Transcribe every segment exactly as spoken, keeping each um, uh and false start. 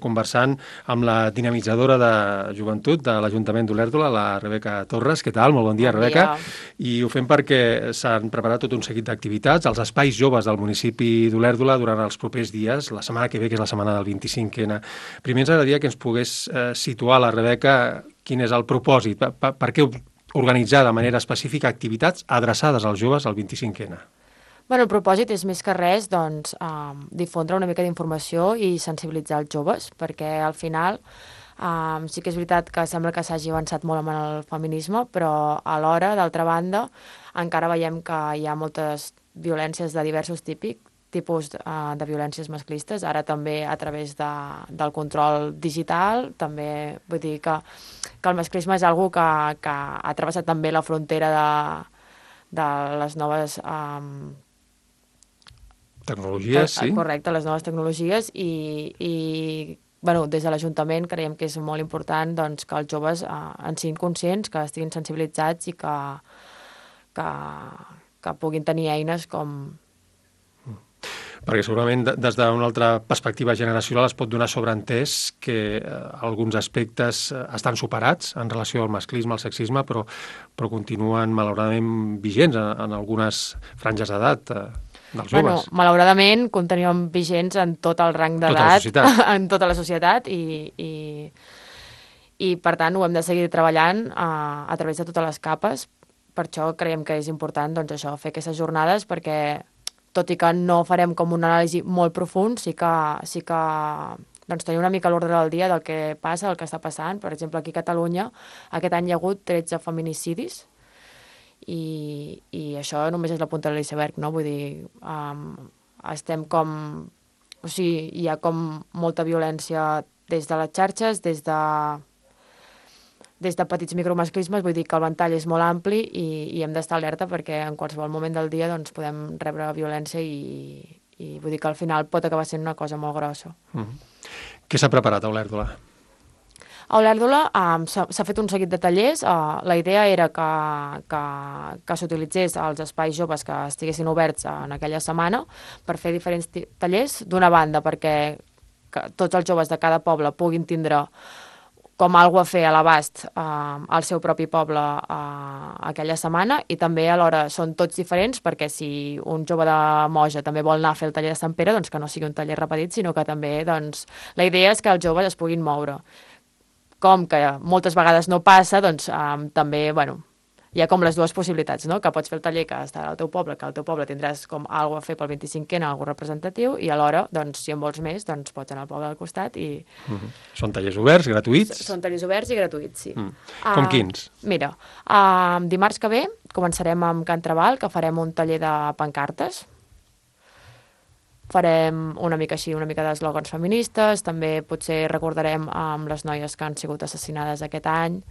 conversant amb la dinamitzadora de joventut de l'Ajuntament d'Olèrdola, la Rebeca Torres. Què tal? Molt bon dia, bon Rebeca. Dia. I ho fem perquè s'han preparat tot un seguit d'activitats als espais joves del municipi d'Olèrdola durant els propers dies, la setmana que ve, que és la setmana del vint-i-cinc ena. Primer ens agradaria que ens pogués eh, situar la Rebeca quin és el propòsit, per, per, per què organitzar de manera específica activitats adreçades als joves al vint-i-cinc ena. Bueno, el propòsit és més que res doncs, eh, difondre una mica d'informació i sensibilitzar els joves, perquè al final eh, sí que és veritat que sembla que s'hagi avançat molt amb el feminisme, però alhora, d'altra banda, encara veiem que hi ha moltes violències de diversos típics, tipus eh, de violències masclistes, ara també a través de, del control digital, també vull dir que, que el masclisme és algo que, que ha travessat també la frontera de, de les noves... Eh, Tecnologies, sí. Correcte, les noves tecnologies i, i bueno, des de l'Ajuntament creiem que és molt important doncs, que els joves eh, en siguin conscients, que estiguin sensibilitzats i que, que, que puguin tenir eines com... Perquè segurament des d'una altra perspectiva generacional es pot donar sobreentès que eh, alguns aspectes estan superats en relació al masclisme, al sexisme, però, però continuen malauradament vigents en, en algunes franges d'edat eh, dels bueno, joves. Malauradament continuen vigents en tot el rang d'edat, tota en tota la societat i, i, i per tant ho hem de seguir treballant a, a través de totes les capes. Per això creiem que és important doncs, això, fer aquestes jornades perquè tot i que no farem com una anàlisi molt profund, sí que, sí que doncs, tenir una mica l'ordre del dia del que passa, el que està passant. Per exemple, aquí a Catalunya aquest any hi ha hagut tretze feminicidis i, i això només és la punta de l'iceberg, no? Vull dir, um, estem com... O sigui, hi ha com molta violència des de les xarxes, des de des de petits micromasclismes, vull dir que el ventall és molt ampli i, i hem d'estar alerta perquè en qualsevol moment del dia doncs, podem rebre violència i, i vull dir que al final pot acabar sent una cosa molt grossa. Mm-hmm. Què s'ha preparat a Olèrdola? A Olèrdola um, s'ha fet un seguit de tallers. Uh, la idea era que, que, que s'utilitzés els espais joves que estiguessin oberts en aquella setmana per fer diferents tallers, d'una banda perquè que tots els joves de cada poble puguin tindre com algo a fer a l'abast eh, al seu propi poble eh, aquella setmana i també alhora són tots diferents perquè si un jove de Moja també vol anar a fer el taller de Sant Pere, doncs que no sigui un taller repetit, sinó que també doncs, la idea és que els joves es puguin moure. Com que moltes vegades no passa, doncs eh, també, bueno, hi ha com les dues possibilitats, no? Que pots fer el taller que està al teu poble, que al teu poble tindràs com alguna a fer pel vint-i-cinc ena, alguna representatiu, i alhora, doncs, si en vols més, doncs pots anar al poble del costat i... Mm-hmm. Són tallers oberts, gratuïts? Són tallers oberts i gratuïts, sí. Mm. Com uh, quins? Mira, uh, dimarts que ve començarem amb Can Trabal, que farem un taller de pancartes. Farem una mica així, una mica d'eslògans feministes, també potser recordarem amb les noies que han sigut assassinades aquest any,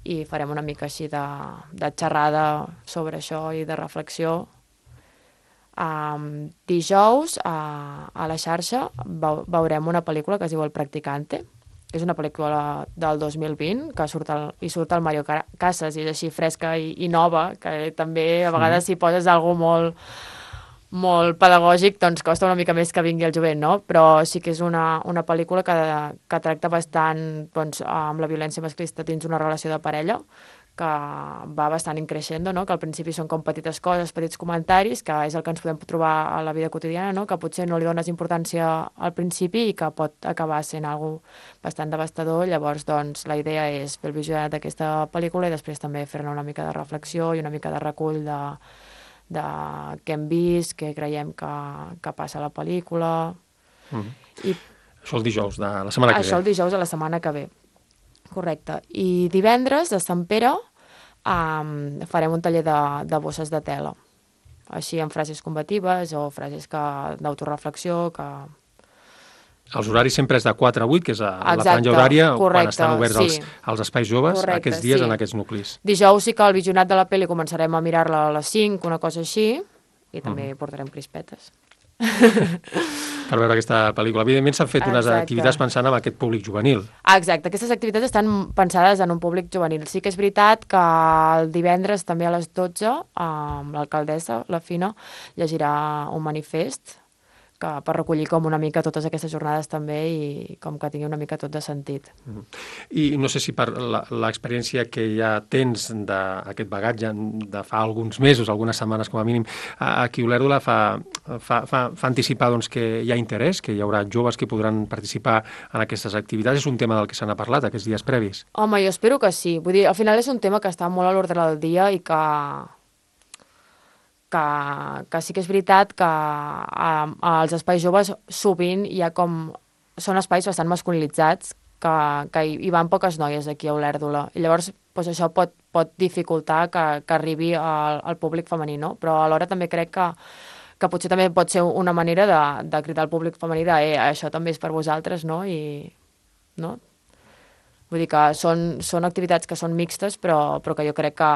i farem una mica així de, de xerrada sobre això i de reflexió. Um, dijous, a, a la xarxa, veurem una pel·lícula que es diu El Practicante. És una pel·lícula del dos mil vint, que surt el, hi surt el Mario Casas, i és així fresca i, i nova, que també a vegades si poses alguna molt... molt pedagògic, doncs costa una mica més que vingui el jovent, no? Però sí que és una, una pel·lícula que, que tracta bastant doncs, amb la violència masclista dins una relació de parella, que va bastant increixent, no? Que al principi són com petites coses, petits comentaris, que és el que ens podem trobar a la vida quotidiana, no? Que potser no li dones importància al principi i que pot acabar sent algo bastant devastador. Llavors, doncs, la idea és fer el visionat d'aquesta pel·lícula i després també fer-ne una mica de reflexió i una mica de recull de de què hem vist, què creiem que, que passa a la pel·lícula. Mm. I això el dijous de la setmana que ve. Això el dijous de la setmana que ve. Correcte. I divendres, de Sant Pere, um, farem un taller de, de bosses de tela. Així amb frases combatives o frases que, d'autoreflexió que... Els horaris sempre és de quatre a vuit, que és a Exacte, la franja horària, correcte, quan estan oberts sí. els, els espais joves, Correcte, aquests dies sí. en aquests nuclis. Dijous sí que el visionat de la pel·li començarem a mirar-la a les cinc, una cosa així, i també mm. portarem crispetes. Per veure aquesta pel·lícula. Evidentment s'han fet unes Exacte. activitats pensant en aquest públic juvenil. Exacte, aquestes activitats estan pensades en un públic juvenil. Sí que és veritat que el divendres també a les dotze, amb l'alcaldessa, la Fina, llegirà un manifest que per recollir com una mica totes aquestes jornades també i com que tingui una mica tot de sentit. I no sé si per l'experiència que ja tens d'aquest bagatge de fa alguns mesos, algunes setmanes com a mínim, aquí Olèrdola fa, fa, fa, fa anticipar doncs, que hi ha interès, que hi haurà joves que podran participar en aquestes activitats. És un tema del que se n'ha parlat aquests dies previs? Home, jo espero que sí. Vull dir, al final és un tema que està molt a l'ordre del dia i que Que, que sí que és veritat que a, als espais joves sovint hi ha com... Són espais bastant masculinitzats, que, que hi, hi van poques noies aquí a Olèrdola. I llavors doncs això pot, pot dificultar que, que arribi al, al públic femení, no? Però alhora també crec que, que potser també pot ser una manera de, de cridar al públic femení de eh, això també és per vosaltres, no? I, no? Vull dir que són, són activitats que són mixtes, però, però que jo crec que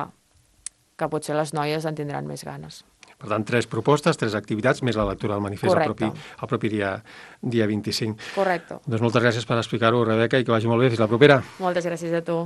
que potser les noies en tindran més ganes. Per tant, tres propostes, tres activitats, més la lectura del manifest el propi, el propi dia, dia vint-i-cinc. Correcte. Doncs moltes gràcies per explicar-ho, Rebeca, i que vagi molt bé. Fins la propera. Moltes gràcies a tu.